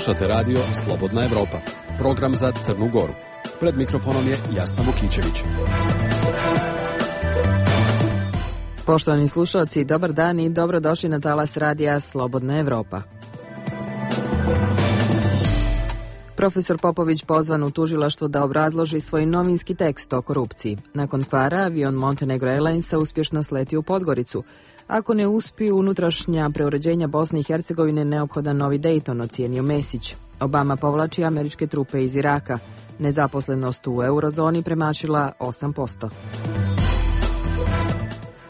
Slušate radio Slobodna Evropa, program za Crnu Goru. Pred mikrofonom je Jasna Vukićević. Poštovani slušalci, dobar dan i dobrodošli na talas radija Slobodna Evropa. Profesor Popović pozvan u tužilaštvo da obrazloži svoj novinski tekst o korupciji. Nakon kvara, avion Montenegro Airlinesa uspješno sleti u Podgoricu. Ako ne uspiju unutrašnja preuređenja Bosne i Hercegovine, neophodan novi Dayton, ocijenio Mesić. Obama povlači američke trupe iz Iraka. Nezaposlenost u eurozoni premašila 8%.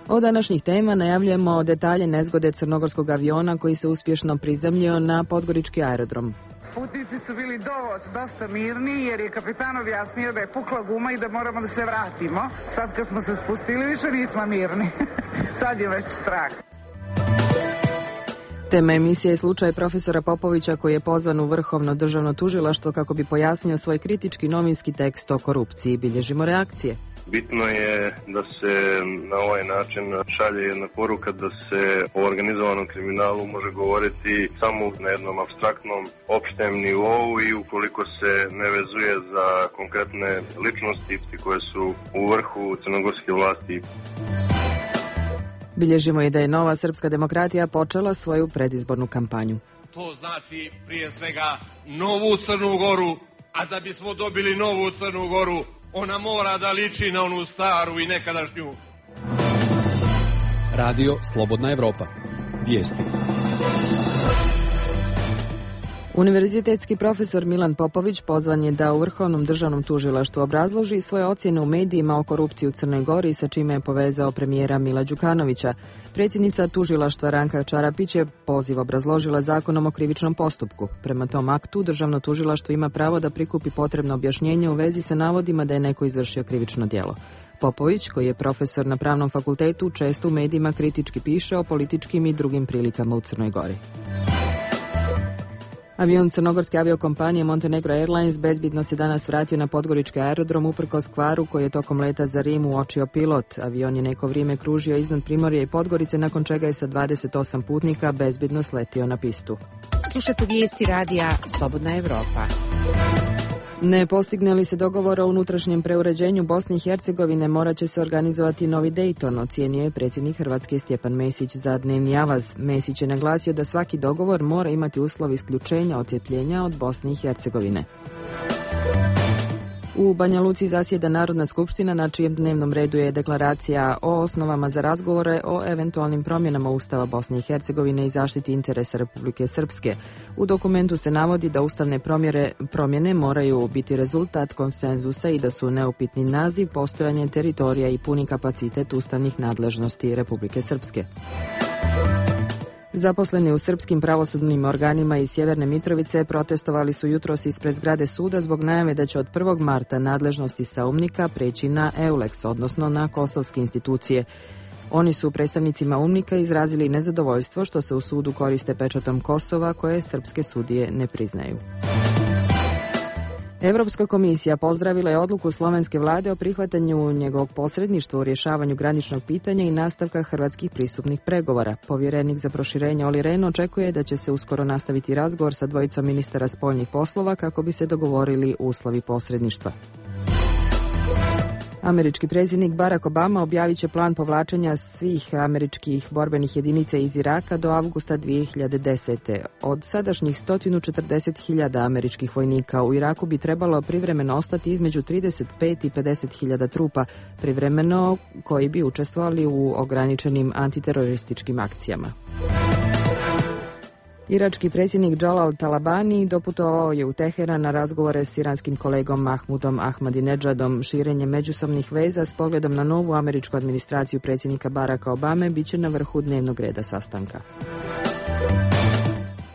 Od današnjih tema najavljujemo detalje nezgode crnogorskog aviona koji se uspješno prizemljio na podgorički aerodrom. Putnici su bili dosta mirni jer je kapitan objasnio da je pukla guma i da moramo da se vratimo. Sad kad smo se spustili više nismo mirni. Sad je već strah. Tema emisije je slučaj profesora Popovića koji je pozvan u Vrhovno državno tužilaštvo kako bi pojasnio svoj kritički novinski tekst o korupciji. Bilježimo reakcije. Bitno je da se na ovaj način šalje jedna poruka da se o organizovanom kriminalu može govoriti samo na jednom apstraktnom, opštem nivou i ukoliko se ne vezuje za konkretne ličnosti koje su u vrhu crnogorske vlasti. Bilježimo i da je Nova srpska demokratija počela svoju predizbornu kampanju. To znači prije svega novu Crnu Goru, a da bismo dobili novu Crnu Goru, ona mora da liči na onu staru i nekadašnju. Radio Slobodna Evropa. Vijesti. Univerzitetski profesor Milan Popović pozvan je da u Vrhovnom državnom tužilaštvu obrazloži svoje ocjene u medijima o korupciji u Crnoj Gori, sa čime je povezao premijera Mila Đukanovića. Predsjednica tužilaštva Ranka Čarapić je poziv obrazložila Zakonom o krivičnom postupku. Prema tom aktu, državno tužilaštvo ima pravo da prikupi potrebno objašnjenje u vezi sa navodima da je neko izvršio krivično djelo. Popović, koji je profesor na Pravnom fakultetu, često u medijima kritički piše o političkim i drugim prilikama u Crnoj Gori. Avion crnogorske aviokompanije Montenegro Airlines bezbjedno se danas vratio na podgorički aerodrom uprkos kvaru koji je tokom leta za Rim uočio pilot. Avion je neko vrijeme kružio iznad Primorja i Podgorice, nakon čega je sa 28 putnika bezbjedno sletio na pistu. Slušate vijesti radija Slobodna Evropa. Ne postigne li se dogovor o unutrašnjem preuređenju Bosne i Hercegovine, morat će se organizovati novi Dayton, ocijenio je predsjednik Hrvatske Stjepan Mesić za dnevni avaz. Mesić je naglasio da svaki dogovor mora imati uslov isključenja odcjepljenja od Bosne i Hercegovine. U Banja Luci zasjeda Narodna skupština, na čijem dnevnom redu je deklaracija o osnovama za razgovore o eventualnim promjenama Ustava Bosne i Hercegovine i zaštiti interesa Republike Srpske. U dokumentu se navodi da ustavne promjene moraju biti rezultat konsenzusa i da su neupitni naziv, postojanje teritorija i puni kapacitet ustavnih nadležnosti Republike Srpske. Zaposleni u srpskim pravosudnim organima iz Sjeverne Mitrovice protestovali su jutros ispred zgrade suda zbog najave da će od 1. marta nadležnosti SAUMNIK-a preći na EULEX, odnosno na kosovske institucije. Oni su predstavnicima UMNIK-a izrazili nezadovoljstvo što se u sudu koriste pečatom Kosova koje srpske sudije ne priznaju. Europska komisija pozdravila je odluku slovenske vlade o prihvatanju njegovog posredništva u rješavanju graničnog pitanja i nastavka hrvatskih pristupnih pregovora. Povjerenik za proširenje Olli Rehn očekuje da će se uskoro nastaviti razgovor sa dvojicom ministara spoljnih poslova kako bi se dogovorili uslovi posredništva. Američki predsjednik Barack Obama objavit će plan povlačenja svih američkih borbenih jedinica iz Iraka do avgusta 2010. Od sadašnjih 140.000 američkih vojnika u Iraku bi trebalo privremeno ostati između 35 i 50.000 trupa, privremeno koji bi učestvovali u ograničenim antiterorističkim akcijama. Irački predsjednik Jalal Talabani doputovao je u Teheran na razgovore s iranskim kolegom Mahmudom Ahmadinejadom. Širenje međusobnih veza s pogledom na novu američku administraciju predsjednika Baracka Obame bit će na vrhu dnevnog reda sastanka.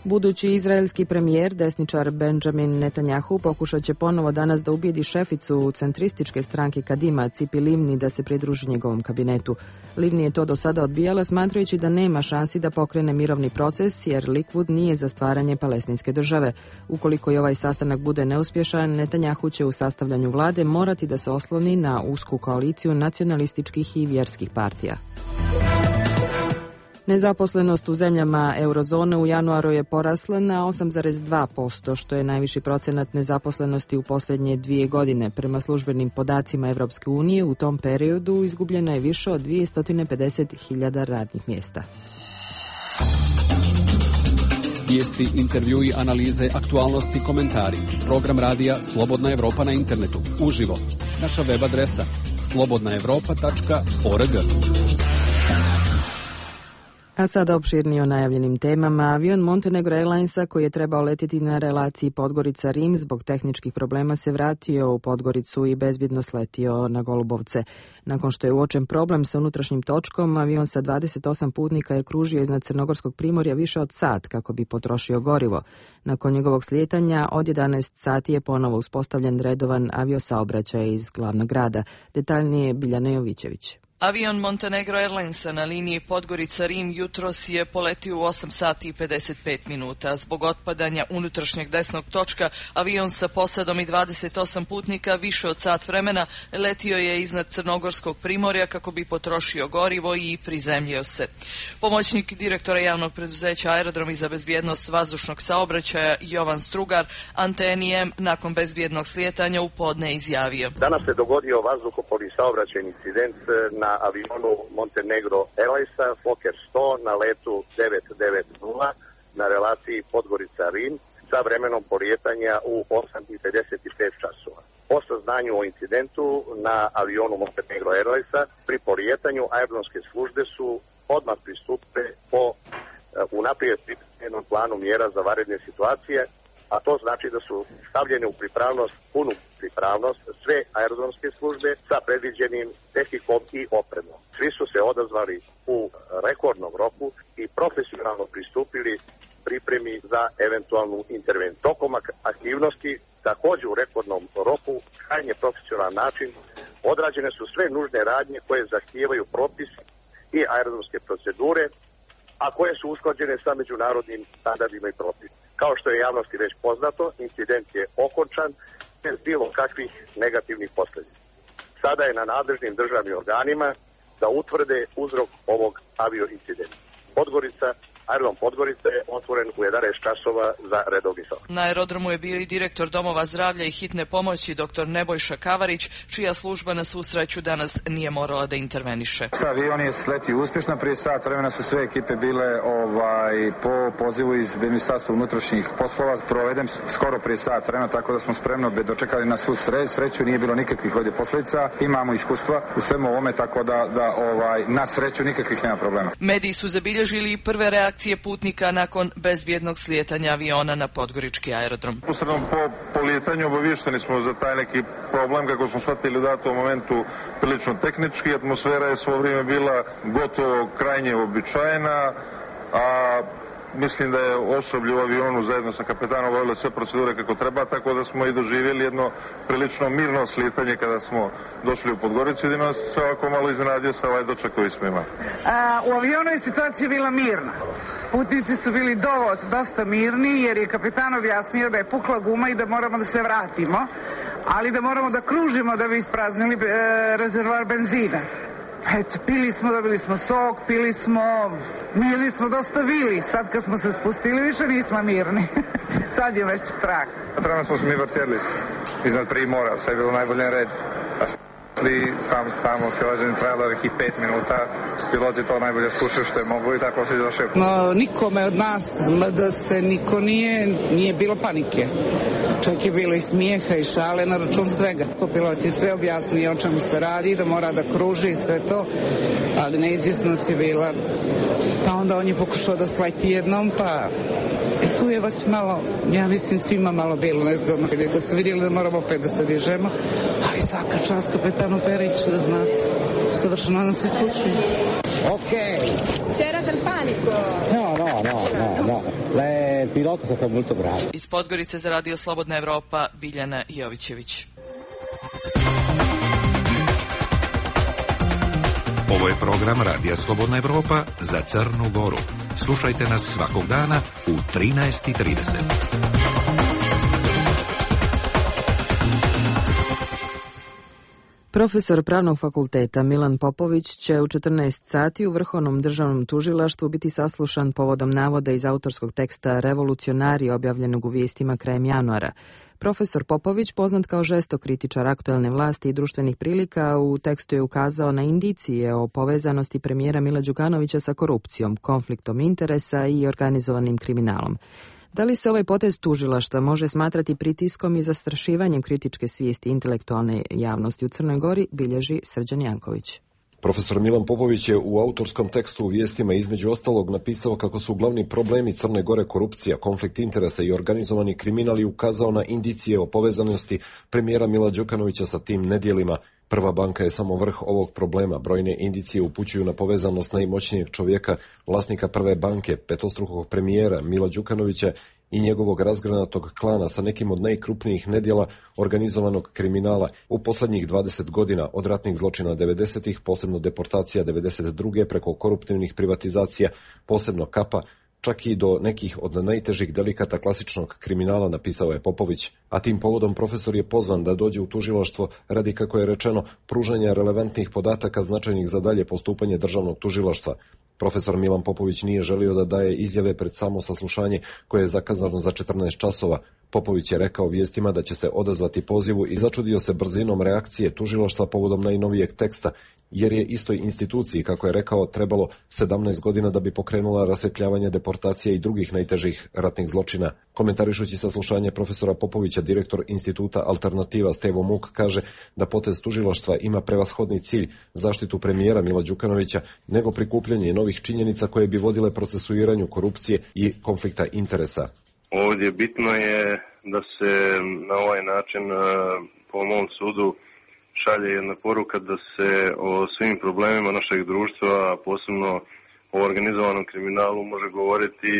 Budući izraelski premijer, desničar Benjamin Netanjahu, pokušat će ponovo danas da ubijedi šeficu centrističke stranke Kadima, Cipi Livni, da se pridruži njegovom kabinetu. Livni je to do sada odbijala, smatrajući da nema šansi da pokrene mirovni proces, jer Likud nije za stvaranje palestinske države. Ukoliko i ovaj sastanak bude neuspješan, Netanjahu će u sastavljanju vlade morati da se osloni na usku koaliciju nacionalističkih i vjerskih partija. Nezaposlenost u zemljama eurozone u januaru je porasla na 8,2%, što je najviši procenat nezaposlenosti u posljednje 2 godine. Prema službenim podacima Evropske unije u tom periodu izgubljeno je više od 250.000 radnih mjesta. Vijesti, intervjui, analize, aktualnosti, komentari. Program radija Slobodna Evropa na internetu. Uživo. Naša web adresa slobodnaevropa.org. A sada opširnije o najavljenim temama. Avion Montenegro Airlinesa koji je trebao letjeti na relaciji Podgorica-Rim zbog tehničkih problema se vratio u Podgoricu i bezbjedno sletio na Golubovce. Nakon što je uočen problem sa unutrašnjim točkom, avion sa 28 putnika je kružio iznad Crnogorskog primorja više od sat kako bi potrošio gorivo. Nakon njegovog slijetanja od 11 sati je ponovo uspostavljen redovan aviosaobraćaj iz glavnog grada. Detaljnije Biljana Jovićević. Avion Montenegro Airlinesa na liniji Podgorica-Rim jutros je poletio u 8 sati i 55 minuta. Zbog otpadanja unutrašnjeg desnog točka, avion sa posadom i 28 putnika više od sat vremena letio je iznad Crnogorskog primorja kako bi potrošio gorivo i prizemljio se. Pomoćnik direktora javnog preduzeća Aerodromi za bezbjednost vazdušnog saobraćaja Jovan Strugar Antenijem nakon bezbjednog slijetanja u podne izjavio. Danas se dogodio vazduhoplovni saobraćajni incident na avionu Montenegro Airlinesa Fokker 100 na letu 990 na relaciji Podgorica-Rim sa vremenom polijetanja u 8:55 časova. Po saznanju o incidentu na avionu Montenegro Airlinesa pri polijetanju aerodromske službe su odmah pristupile po unaprijed pripremljenom planu mjera za vanredne situacije, a to znači da su stavljene u pripravnost, punu pripravnost sve aerodromske službe sa predviđenim tehnikom i opremom. Svi su se odazvali u rekordnom roku i profesionalno pristupili pripremi za eventualnu intervenciju. Tokom aktivnosti, također u rekordnom roku, krajnje profesionalan način, odrađene su sve nužne radnje koje zahtijevaju propis i aerodromske procedure, a koje su usklađene sa međunarodnim standardima i propisima. Kao što je javnosti već poznato, incident je okončan bez bilo kakvih negativnih posljedica. Sada je na nadležnim državnim organima da utvrde uzrok ovog avioincidenta. Aerodrom Podgorica je otvoren u 11 časova za redovni saobraćaj. Na aerodromu je bio i direktor domova zdravlja i hitne pomoći dr. Nebojša Kavarić, čija služba na svu sreću danas nije morala da interveniše. Avion je sletio uspješno, prije sat vremena su sve ekipe bile po pozivu iz Ministarstva unutrašnjih poslova, proveden skoro prije sat vremena, tako da smo spremno dočekali na svu sreću, nije bilo nikakvih ovdje posljedica, imamo iskustva u svemu ovome, tako da na sreću nikakvih nema problema. Mediji su zabilježili prve reakcije putnika nakon bezbjednog slijetanja aviona na podgorički aerodrom. Posredno po polijetanju obavješteni smo za taj neki problem, kako smo shvatili u datom momentu prilično tehnički. Atmosfera je svo vrijeme bila gotovo krajnje uobičajena, a mislim da je osoblje u avionu zajedno sa kapetanom obavilo sve procedure kako treba, tako da smo i doživjeli jedno prilično mirno slijetanje kada smo došli u Podgoricu. Jedino se ovako malo iznenadio sa ovaj doček koji smo imali. U avionu je situacija bila mirna. Putnici su bili dosta mirni jer je kapetan objasnio da je pukla guma i da moramo da se vratimo, ali da moramo da kružimo da bi ispraznili rezervoar benzina. Eto, pili smo, dobili smo sok, mirni smo dosta bili. Sad kad smo se spustili više nismo mirni. Sad je već strah. Trenutno smo se mi vrtjeli iznad Primora, sve je bilo najbolje red. Samo silaženje trajalo nekih 5 minuta, piloti to najbolje skušaju što je mogu i tako se došao. No, nikome od nas da se niko nije bilo panike. Čak je bilo i smijeha i šale na račun svega. Pilot je sve objasnio o čemu se radi, da mora da kruži i sve to, ali neizvjesnost je bila. Pa onda on je pokušao da sleti jednom, pa tu je vas malo, ja mislim svima malo bilo nezgodno kada su vidjeli da moramo opet da se dižemo, ali svaka čast kapetanu Periću, da znate, savršeno nas ispusti. Ok. C'era del panico? No. Il pilota è stato molto bravo. Iz Podgorice za Radio Slobodna Evropa, Biljana Jovićević. Ovo je program Radija Slobodna Evropa za Crnu Goru. Slušajte nas svakog dana u 13:30. Profesor Pravnog fakulteta Milan Popović će u 14 sati u Vrhovnom državnom tužilaštvu biti saslušan povodom navoda iz autorskog teksta Revolucionari objavljenog u Vijestima krajem januara. Profesor Popović, poznat kao žestok kritičar aktuelne vlasti i društvenih prilika, u tekstu je ukazao na indicije o povezanosti premijera Mila Đukanovića sa korupcijom, konfliktom interesa i organizovanim kriminalom. Da li se ovaj potez tužilaštva može smatrati pritiskom i zastrašivanjem kritičke svijesti intelektualne javnosti u Crnoj Gori, bilježi Srđan Janković. Profesor Milan Popović je u autorskom tekstu u Vijestima između ostalog napisao kako su glavni problemi Crne Gore korupcija, konflikt interesa i organizovani kriminal i ukazao na indicije o povezanosti premijera Mila Đukanovića sa tim nedjelima. Prva banka je samo vrh ovog problema. Brojne indicije upućuju na povezanost najmoćnijeg čovjeka, vlasnika Prve banke, petostrukog premijera Mila Đukanovića i njegovog razgranatog klana sa nekim od najkrupnijih nedjela organizovanog kriminala u posljednjih 20 godina, od ratnih zločina 90-ih, posebno deportacija 92. preko koruptivnih privatizacija, posebno Kapa, čak i do nekih od najtežih delikata klasičnog kriminala, napisao je Popović. A tim povodom profesor je pozvan da dođe u tužilaštvo radi, kako je rečeno, pružanja relevantnih podataka značajnih za dalje postupanje državnog tužilaštva. Profesor Milan Popović nije želio da daje izjave pred samo saslušanje koje je zakazano za 14 časova. Popović je rekao Vijestima da će se odazvati pozivu i začudio se brzinom reakcije tužilaštva povodom najnovijeg teksta, jer je istoj instituciji, kako je rekao, trebalo 17 godina da bi pokrenula rasvjetljavanje deportacije i drugih najtežih ratnih zločina. Komentarišući saslušanje profesora Popovića, direktor instituta Alternativa Stevo Muk kaže da potez tužilaštva ima prevashodni cilj zaštitu premijera Mila Đukanovića nego prikupljanje novih činjenica koje bi vodile procesuiranju korupcije i konflikta interesa. Ovdje bitno je da se na ovaj način, po mom sudu, šalje jedna poruka da se o svim problemima našeg društva, posebno o organizovanom kriminalu, može govoriti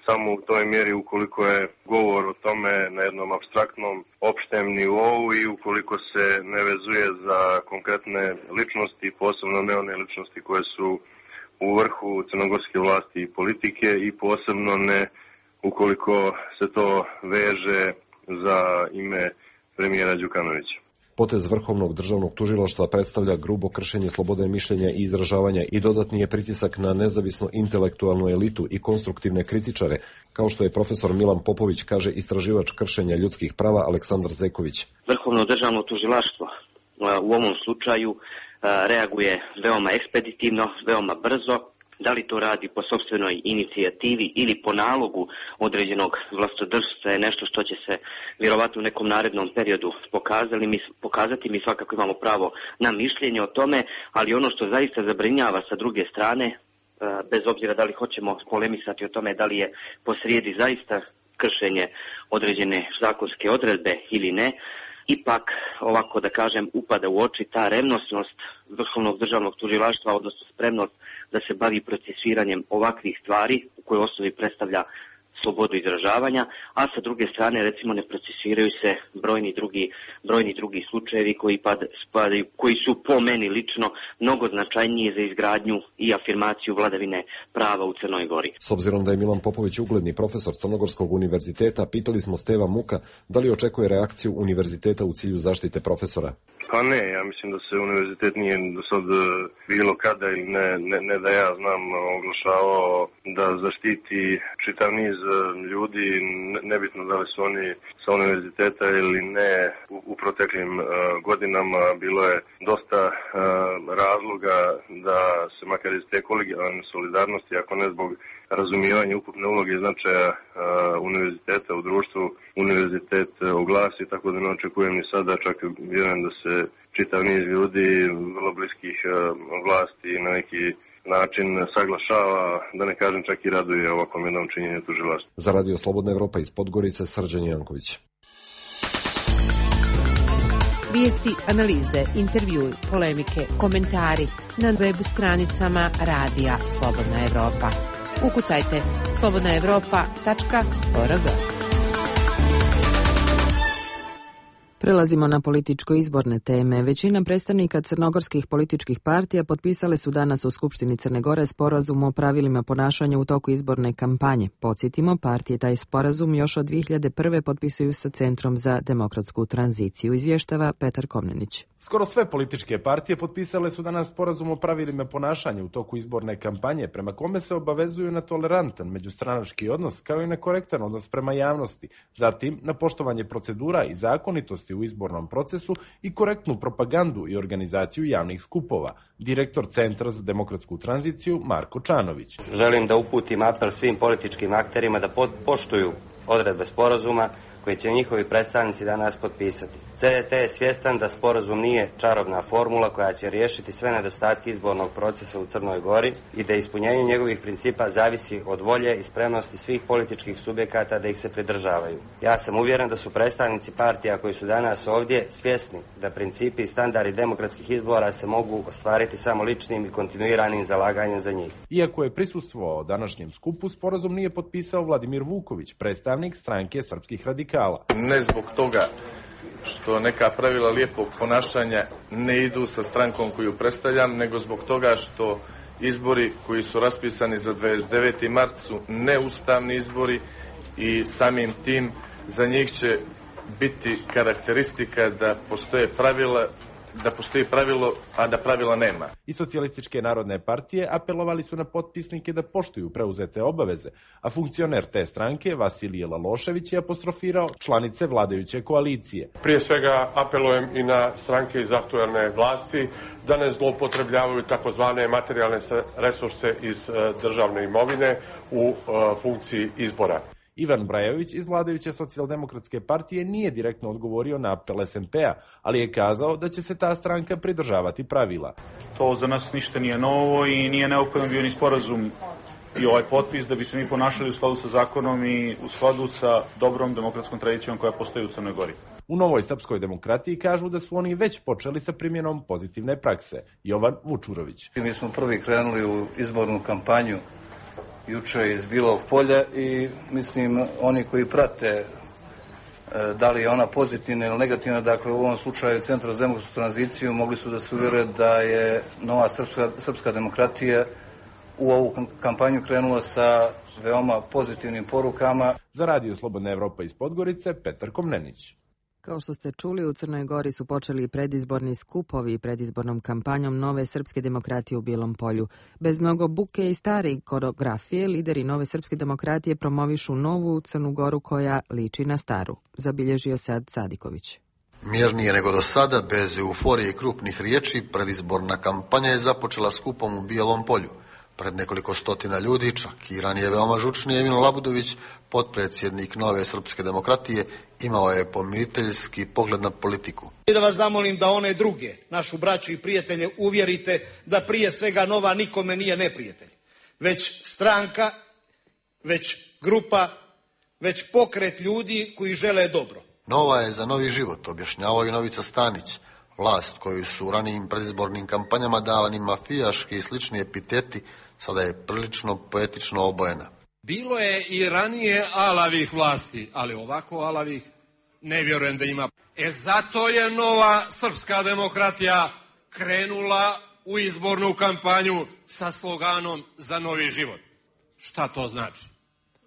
samo u toj mjeri ukoliko je govor o tome na jednom apstraktnom, opštem nivou i ukoliko se ne vezuje za konkretne ličnosti, posebno ne one ličnosti koje su u vrhu crnogorske vlasti i politike, i posebno ne ukoliko se to veže za ime premijera Đukanovića. Potez Vrhovnog državnog tužilaštva predstavlja grubo kršenje slobode mišljenja i izražavanja i dodatni je pritisak na nezavisnu intelektualnu elitu i konstruktivne kritičare, kao što je profesor Milan Popović, kaže istraživač kršenja ljudskih prava Aleksandar Zeković. Vrhovno državno tužilaštvo u ovom slučaju reaguje veoma ekspeditivno, veoma brzo. Da li to radi po sopstvenoj inicijativi ili po nalogu određenog vlastodržstva je nešto što će se vjerovatno u nekom narednom periodu pokazati. Mi svakako imamo pravo na mišljenje o tome, ali ono što zaista zabrinjava sa druge strane, bez obzira da li hoćemo polemisati o tome da li je posrijedi zaista kršenje određene zakonske odredbe ili ne, ipak, ovako da kažem, upada u oči ta revnosnost Vrhovnog državnog tužilaštva, odnosno spremnost da se bavi procesuiranjem ovakvih stvari u kojoj osnovi predstavlja slobodu izražavanja, a sa druge strane recimo ne procesuiraju se brojni drugi slučajevi koji su po meni lično mnogo značajniji za izgradnju i afirmaciju vladavine prava u Crnoj Gori. S obzirom da je Milan Popović ugledni profesor Crnogorskog univerziteta, pitali smo Steva Muka da li očekuje reakciju univerziteta u cilju zaštite profesora. Pa ne, ja mislim da se univerzitet nije do sad bilo kada ili ne da ja znam oglašavao da zaštiti čitav niz ljudi, nebitno da li su oni sa univerziteta ili ne. U proteklim godinama bilo je dosta razloga da se makar iz te kolegijalne solidarnosti, ako ne zbog razumijevanja ukupne uloge i značaja univerziteta u društvu, univerzitet oglasi, tako da ne očekujem ni sada, čak vjerujem da se čitav niz ljudi vrlo bliskih vlasti na neki način saglašava, da ne kažem čak i raduje ovakvom jednom činjenju tužilaštva. Za Radio Slobodna Evropa iz Podgorice, Srđan Janković. Vijesti, analize, intervjui, polemike, komentari na web stranicama Radija Slobodna Evropa. Ukucajte slobodnaevropa.org. Prelazimo na političko-izborne teme. Većina predstavnika crnogorskih političkih partija potpisale su danas u Skupštini Crne Gore sporazum o pravilima ponašanja u toku izborne kampanje. Podsjetimo, partije taj sporazum još od 2001. potpisuju sa Centrom za demokratsku tranziciju, izvještava Petar Komnenić. Skoro sve političke partije potpisale su danas sporazum o pravilima ponašanja u toku izborne kampanje, prema kome se obavezuju na tolerantan međustranački odnos kao i na korektan odnos prema javnosti, zatim na poštovanje procedura i zakonitosti u izbornom procesu i korektnu propagandu i organizaciju javnih skupova. Direktor Centra za demokratsku tranziciju Marko Čanović. Želim da uputim apel svim političkim akterima da poštuju odredbe sporazuma koje će njihovi predstavnici danas potpisati. CDT je svjestan da sporazum nije čarobna formula koja će riješiti sve nedostatke izbornog procesa u Crnoj Gori i da ispunjenje njegovih principa zavisi od volje i spremnosti svih političkih subjekata da ih se pridržavaju. Ja sam uvjeren da su predstavnici partija koji su danas ovdje svjesni da principi i standardi demokratskih izbora se mogu ostvariti samo ličnim i kontinuiranim zalaganjem za njih. Iako je prisustvovao današnjem skupu, sporazum nije potpisao Vladimir Vuković, predstavnik stranke srpskih radikala. Ne zbog toga što neka pravila lijepog ponašanja ne idu sa strankom koju predstavljam, nego zbog toga što izbori koji su raspisani za 29. mart su neustavni izbori i samim tim za njih će biti karakteristika da postoji pravilo, a da pravila nema. I Socijalističke narodne partije apelovali su na potpisnike da poštuju preuzete obaveze, a funkcioner te stranke, Vasilije Lalošević, je apostrofirao članice vladajuće koalicije. Prije svega apelujem i na stranke iz aktuelne vlasti da ne zloupotrebljavaju takozvane materijalne resurse iz državne imovine u funkciji izbora. Ivan Brajović iz vladajuće Socijaldemokratske partije nije direktno odgovorio na apel SMP-a, ali je kazao da će se ta stranka pridržavati pravila. To za nas ništa nije novo i nije neophodan bio ni sporazum i ovaj potpis da bi se mi ponašali u skladu sa zakonom i u skladu sa dobrom demokratskom tradicijom koja postoji u Crnoj Gori. U Novoj srpskoj demokratiji kažu da su oni već počeli sa primjenom pozitivne prakse. Jovan Vučurović. Mi smo prvi krenuli u izbornu kampanju juče iz Bilog Polja i mislim oni koji prate da li je ona pozitivna ili negativna, dakle u ovom slučaju Centra za demokratsku tranziciju mogli su da se uvjere da je Nova srpska demokratija u ovu kampanju krenula sa veoma pozitivnim porukama. Za Radio Slobodna Evropa iz Podgorice, Petar Komnenić. Kao što ste čuli, u Crnoj Gori su počeli predizborni skupovi predizbornom kampanjom Nove srpske demokratije u Bijelom Polju. Bez mnogo buke i stare koreografije, lideri Nove srpske demokratije promovišu novu Crnu Goru koja liči na staru, zabilježio Sad Sadiković. Mirnije nego do sada, bez euforije i krupnih riječi, predizborna kampanja je započela skupom u Bijelom Polju. Pred nekoliko stotina ljudi, čak i ranije veoma žučni Emil Labudović, potpredsjednik Nove srpske demokratije, imao je pomiriteljski pogled na politiku. I da vas zamolim da one druge, našu braću i prijatelje, uvjerite da prije svega Nova nikome nije neprijatelj, već stranka, već grupa, već pokret ljudi koji žele dobro. Nova je za novi život, objašnjavao i Novica Stanić. Vlast koju su u ranijim predizbornim kampanjama davani mafijaški i slični epiteti, sada je prilično poetično obojena. Bilo je i ranije alavih vlasti, ali ovako alavih ne vjerujem da ima. Zato je Nova srpska demokratija krenula u izbornu kampanju sa sloganom za novi život. Šta to znači?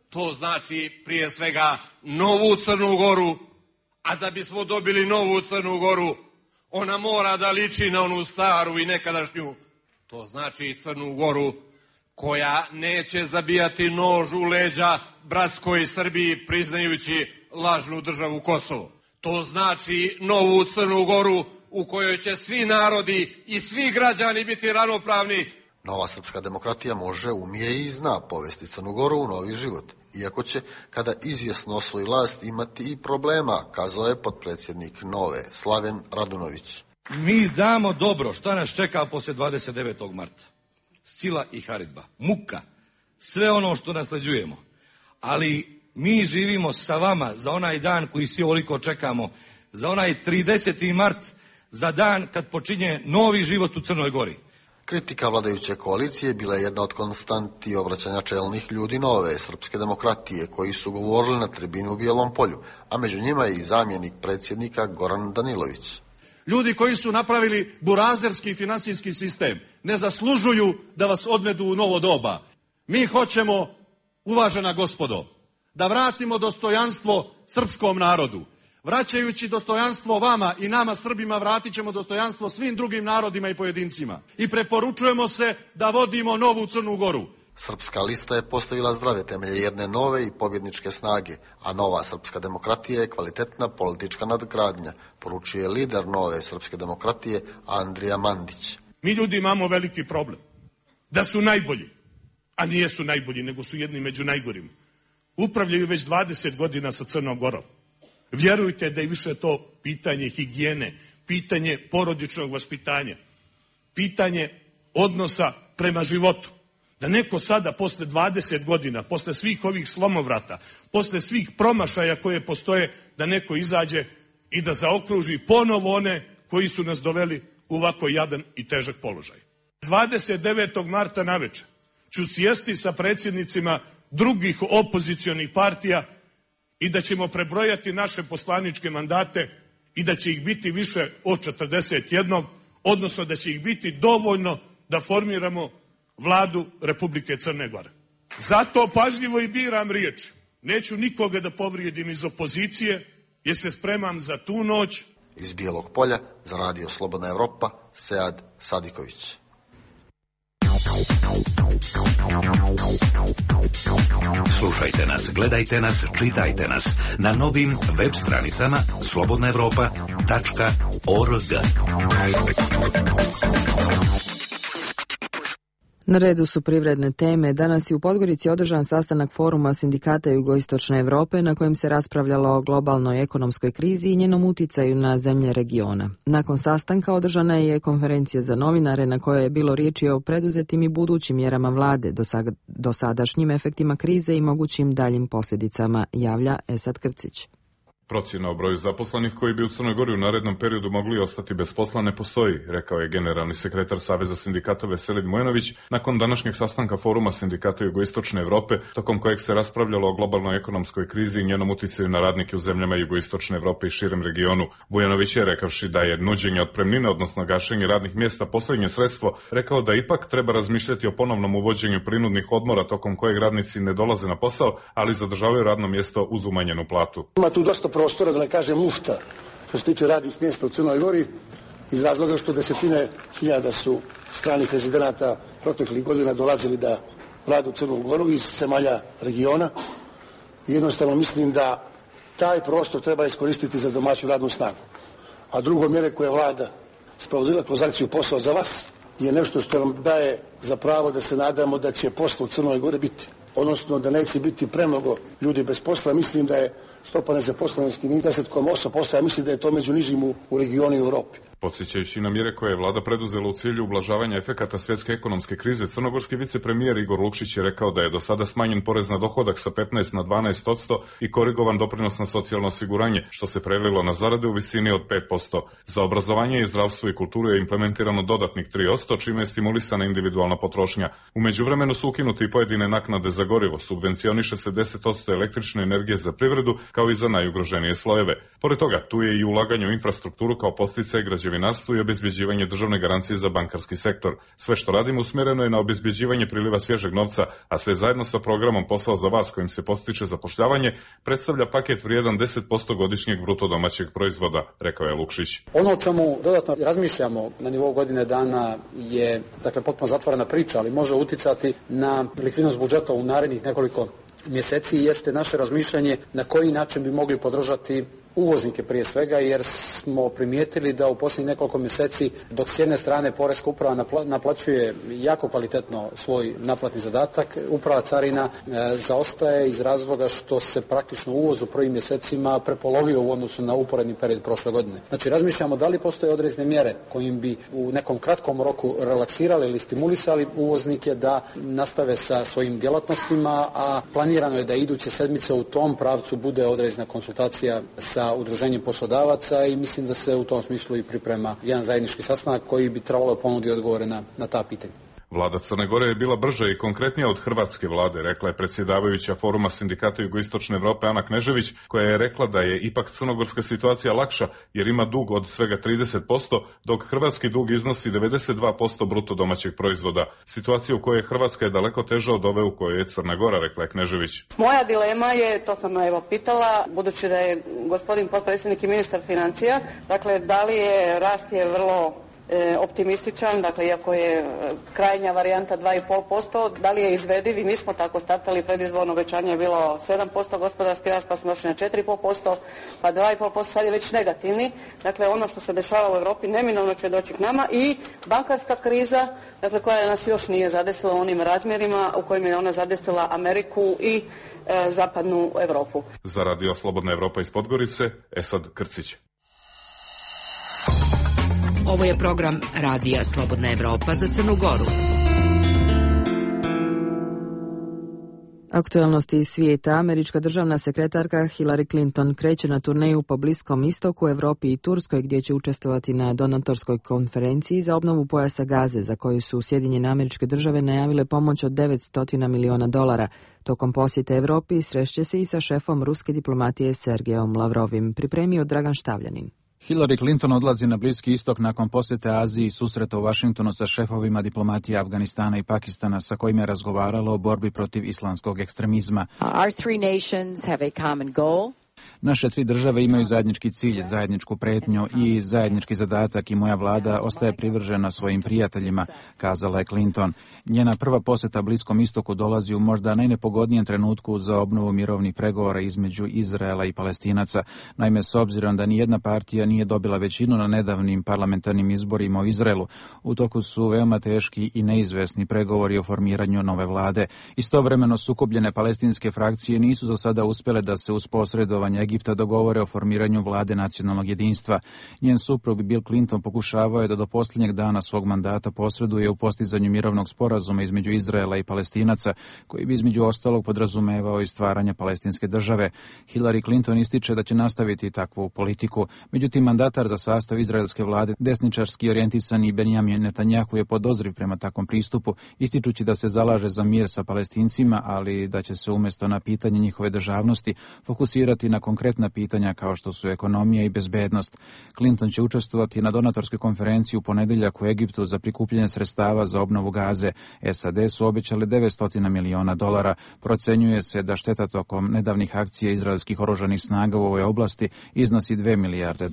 To znači prije svega novu Crnu Goru, a da bismo dobili novu Crnu Goru, ona mora da liči na onu staru i nekadašnju. To znači Crnu Goru koja neće zabijati nož u leđa bratskoj Srbiji priznajući lažnu državu Kosovo. To znači novu Crnu Goru u kojoj će svi narodi i svi građani biti ravnopravni. Nova srpska demokratija može, umije i zna povesti Crnu Goru u novi život. Iako će, kada izvjesno osvoji vlast, imati i problema, kazao je potpredsjednik Nove, Slaven Radunović. Mi damo dobro, šta nas čeka poslije 29. marta? Sila i haridba, muka, sve ono što nasleđujemo. Ali mi živimo sa vama za onaj dan koji svi ovoliko čekamo, za onaj 30. mart, za dan kad počinje novi život u Crnoj Gori. Kritika vladajuće koalicije bila je jedna od konstanti obraćanja čelnih ljudi Nove srpske demokratije koji su govorili na tribini u Bijelom Polju, a među njima je i zamjenik predsjednika Goran Danilović. Ljudi koji su napravili burazerski finansijski sistem ne zaslužuju da vas odvedu u novo doba. Mi hoćemo, uvažena gospodo, da vratimo dostojanstvo srpskom narodu. Vraćajući dostojanstvo vama i nama Srbima, vratit ćemo dostojanstvo svim drugim narodima i pojedincima. I preporučujemo se da vodimo novu Crnu Goru. Srpska lista je postavila zdrave temelje jedne nove i pobjedničke snage, a nova srpska demokratija je kvalitetna politička nadgradnja, poručuje lider nove srpske demokratije Andrija Mandić. Mi ljudi imamo veliki problem. Da su najbolji, a nijesu najbolji, nego su jedni među najgorim. Upravljaju već 20 godina sa Crnom Gorom. Vjerujte da je više to pitanje higijene, pitanje porodičnog vaspitanja, pitanje odnosa prema životu. Da neko sada, posle 20 godina, posle svih ovih slomovrata, posle svih promašaja koje postoje, da neko izađe i da zaokruži ponovo one koji su nas doveli u ovako jadan i težak položaj. 29. marta navečer ću sjesti sa predsjednicima drugih opozicionih partija i da ćemo prebrojati naše poslaničke mandate i da će ih biti više od 41, odnosno da će ih biti dovoljno da formiramo Vladu Republike Crne Gore. Zato pažljivo i biram riječi. Neću nikoga da povrijedim iz opozicije, jer se spremam za tu noć. Iz Bijelog Polja za Radio Slobodna Evropa, Sead Sadiković. Slušajte nas, gledajte nas, čitajte nas na novim web stranicama slobodnaevropa.org. Na redu su privredne teme. Danas je u Podgorici održan sastanak foruma sindikata Jugoistočne Evrope na kojem se raspravljalo o globalnoj ekonomskoj krizi i njenom uticaju na zemlje regiona. Nakon sastanka održana je konferencija za novinare na kojoj je bilo riječi o preduzetim i budućim mjerama vlade, dosadašnjim efektima krize i mogućim daljim posljedicama, javlja Esad Krcić. Procjena o broju zaposlenih koji bi u Crnoj Gori u narednom periodu mogli ostati bez posla ne postoji, rekao je generalni sekretar Saveza sindikata Veselin Mojanović nakon današnjeg sastanka foruma sindikata Jugoistočne Evrope, tokom kojeg se raspravljalo o globalnoj ekonomskoj krizi i njenom uticaju na radnike u zemljama Jugoistočne Evrope i širem regionu. Vujanović je, rekavši da je nuđenje otpremnine, odnosno gašenje radnih mjesta, posljednje sredstvo, rekao da ipak treba razmišljati o ponovnom uvođenju prinudnih odmora tokom kojeg radnici ne dolaze na posao, ali zadržavaju radno mjesto uz umanjenu platu. Ima tu dosta prostora, da ne kažem lufta, što se tiče radnih mjesta u Crnoj Gori, iz razloga što desetine hiljada su stranih rezidenata proteklih godina dolazili da rade u Crnu Goru iz zemalja regiona. Jednostavno mislim da taj prostor treba iskoristiti za domaću radnu snagu. A drugo, mjere koje vlada sprovodila kroz akciju Posao za vas je nešto što nam daje za pravo da se nadamo da će posla u Crnoj Gori biti. Odnosno da neće biti premnogo ljudi bez posla. Mislim da je stopa nezaposlenosti 10,8%, ja mislim da je to među nižim u regionu i Europi. Podsjećajući na mjere koje je vlada preduzela u cilju ublažavanja efekata svjetske ekonomske krize, crnogorski vicepremijer Igor Lukšić je rekao da je do sada smanjen porez na dohodak sa 15 na 12% i korigovan doprinos na socijalno osiguranje, što se prelilo na zarade u visini od 5%. Za obrazovanje i zdravstvo i kulturu je implementirano dodatnih 3%, čime je stimulisana individualna potrošnja. U međuvremenu su ukinuti i pojedine naknade za gorivo, subvencioniše se 10% električne energije za privredu, kao i za najugroženije slojeve. Pored toga, tu je i ulaganje u infrastrukturu kao podsticaj građevinarstvu i obezbjeđivanje državne garancije za bankarski sektor. Sve što radimo usmjereno je na obezbjeđivanje priliva svježeg novca, a sve zajedno sa programom Posao za vas kojim se postiče zapošljavanje predstavlja paket vrijedan 10% godišnjeg bruto domaćeg proizvoda, rekao je Lukšić. Ono o čemu dodatno razmišljamo na nivou godine dana je potpuno zatvorena priča, ali može uticati na likvidnost budžeta u narednih nekoliko mjeseci, jeste naše razmišljanje na koji način bi mogli podržati uvoznike prije svega, jer smo primijetili da u posljednjih nekoliko mjeseci, dok s jedne strane Poreska uprava naplaćuje jako kvalitetno svoj naplatni zadatak, uprava carina zaostaje iz razloga što se praktično uvoz u prvim mjesecima prepolovio u odnosu na uporedni period prošle godine. Znači razmišljamo da li postoje određene mjere kojim bi u nekom kratkom roku relaksirali ili stimulisali uvoznike da nastave sa svojim djelatnostima, a planirano je da iduće sedmice u tom pravcu bude određena konsultacija sa udruženjem poslodavaca i mislim da se u tom smislu i priprema jedan zajednički sastanak koji bi trebalo ponuditi odgovore na ta pitanja. Vlada Crne Gore je bila brža i konkretnija od hrvatske vlade, rekla je predsjedavajuća Foruma sindikata Jugoistočne Evrope Ana Knežević, koja je rekla da je ipak crnogorska situacija lakša jer ima dug od svega 30%, dok hrvatski dug iznosi 92% bruto domaćeg proizvoda. Situacija u kojoj Hrvatska je daleko teža od ove u kojoj je Crna Gora, rekla je Knežević. Moja dilema je, to sam pitala, budući da je gospodin potpredsjednik i ministar financija, dakle da li je rast je vrlo optimističan, dakle iako je krajnja varijanta 2,5%, da li je izvediv i mi smo tako startali, predizborno obećanje je bilo 7% gospodarski rast, pa smo došli na 4,5%, pa 2,5%, sad je već negativni. Dakle, ono što se dešava u Europi neminovno će doći k nama i bankarska kriza, dakle koja nas još nije zadesila u onim razmjerima u kojima je ona zadesila Ameriku i zapadnu Europu. Za Radio Slobodna Evropa iz Podgorice, Esad Krcić. Ovo je program Radija Slobodna Evropa za Crnu Goru. Aktualnosti iz svijeta. Američka državna sekretarka Hillary Clinton kreće na turneju po Bliskom istoku, Europi i Turskoj, gdje će učestvovati na donatorskoj konferenciji za obnovu pojasa Gaze, za koju su Sjedinjene Američke Države najavile pomoć od $900 miliona. Tokom posjete Europi srešće se i sa šefom ruske diplomatije Sergejom Lavrovim, pripremio Dragan Štavljanin. Hillary Clinton odlazi na Bliski istok nakon posjete Aziji i susreta u Vašingtonu sa šefovima diplomatije Afganistana i Pakistana, sa kojima je razgovarala o borbi protiv islamskog ekstremizma. Our three nations have a common goal. Naše tri države imaju zajednički cilj, zajedničku pretnju i zajednički zadatak i moja vlada ostaje privržena svojim prijateljima, kazala je Clinton. Njena prva posjeta Bliskom istoku dolazi u možda najnepogodnijem trenutku za obnovu mirovnih pregovora između Izraela i Palestinaca. Naime, s obzirom da nijedna partija nije dobila većinu na nedavnim parlamentarnim izborima u Izraelu, u toku su veoma teški i neizvesni pregovori o formiranju nove vlade. Istovremeno sukobljene palestinske frakcije nisu za sada uspjele da se uz posredovanje Egipta dogovore o formiranju vlade nacionalnog jedinstva. Njen suprug Bill Clinton pokušavao je da do posljednjeg dana svog mandata posreduje u postizanju mirovnog sporazuma između Izraela i Palestinaca, koji bi između ostalog podrazumevao i stvaranje palestinske države. Hillary Clinton ističe da će nastaviti takvu politiku. Međutim, mandatar za sastav izraelske vlade, desničarski orijentisani Benjamin Netanjahu, je podozriv prema takvom pristupu, ističući da se zalaže za mir sa Palestincima, ali da će se umjesto na pitanje njihove državnosti fokusirati na konkretna pitanja kao što su ekonomija i bezbednost. Clinton će učestvovati na donatorskoj konferenciji u ponedjeljak u Egiptu za prikupljanje sredstava za obnovu Gaze. SAD su obećali $900 miliona. Procenjuje se da šteta tokom nedavnih akcija izraelskih oružanih snaga u ovoj oblasti iznosi $2 milijarde.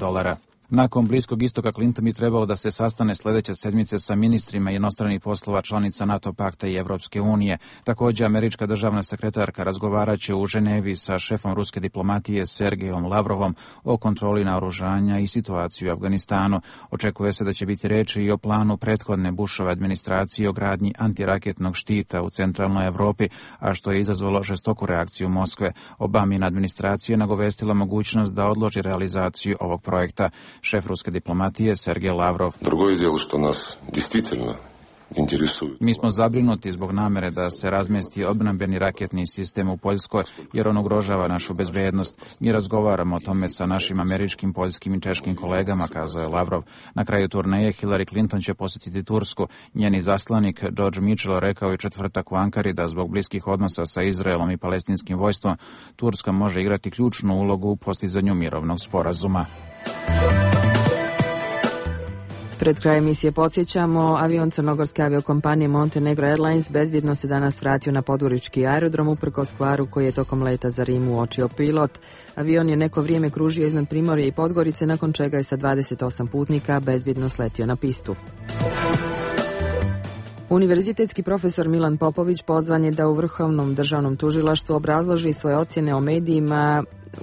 Nakon Bliskog istoka Clinton bi trebalo da se sastane sljedeće sedmice sa ministrima inostranih poslova članica NATO pakta i Evropske unije. Također, američka državna sekretarka razgovaraće u Ženevi sa šefom ruske diplomatije Sergejom Lavrovom o kontroli naoružanja i situaciju u Afganistanu. Očekuje se da će biti riječi i o planu prethodne Bushove administracije o gradnji antiraketnog štita u centralnoj Europi, a što je izazvalo žestoku reakciju Moskve. Obamina administracija nagovestila mogućnost da odloži realizaciju ovog projekta. Šef ruske diplomatije Sergej Lavrov. Другое дело, что нас действительно интересует. Mi smo zabrinuti zbog namere da se razmjesti obrambeni raketni sistem u Poljskoj, jer on ugrožava našu bezbednost. Mi razgovaramo o tome sa našim američkim, poljskim i češkim kolegama, kazao je Lavrov. Na kraju turneje Hillary Clinton će posjetiti Tursku. Njeni zaslanik George Mitchell rekao je četvrtak u Ankari da zbog bliskih odnosa sa Izraelom i palestinskim vojstvom Turska može igrati ključnu ulogu u postizanju mirovnog sporazuma. Pred kraj emisije podsjećamo, avion crnogorske aviokompanije Montenegro Airlines bezbjedno se danas vratio na podgorički aerodrom uprkos kvaru koji je tokom leta za Rim uočio pilot. Avion je neko vrijeme kružio iznad Primorja i Podgorice, nakon čega je sa 28 putnika bezbjedno sletio na pistu. Univerzitetski profesor Milan Popović pozvan je da u Vrhovnom državnom tužilaštvu obrazloži svoje ocjene u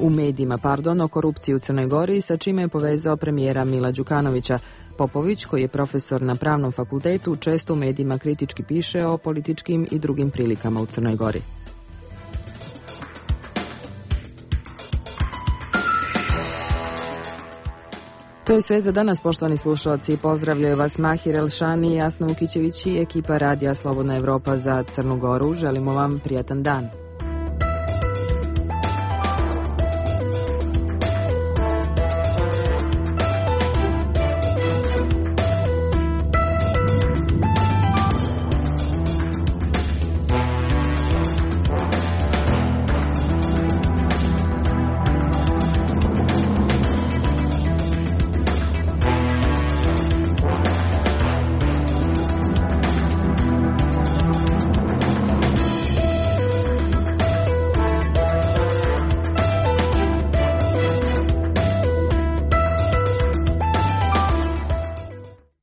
medijima o korupciji u Crnoj Gori, sa čime je povezao premijera Mila Đukanovića. Popović, koji je profesor na Pravnom fakultetu, često u medijima kritički piše o političkim i drugim prilikama u Crnoj Gori. To je sve za danas, poštovani slušalci. Pozdravljaju vas Mahir Elšani, Jasna Vukićević i ekipa Radija Slobodna Evropa za Crnu Goru. Želimo vam prijatan dan.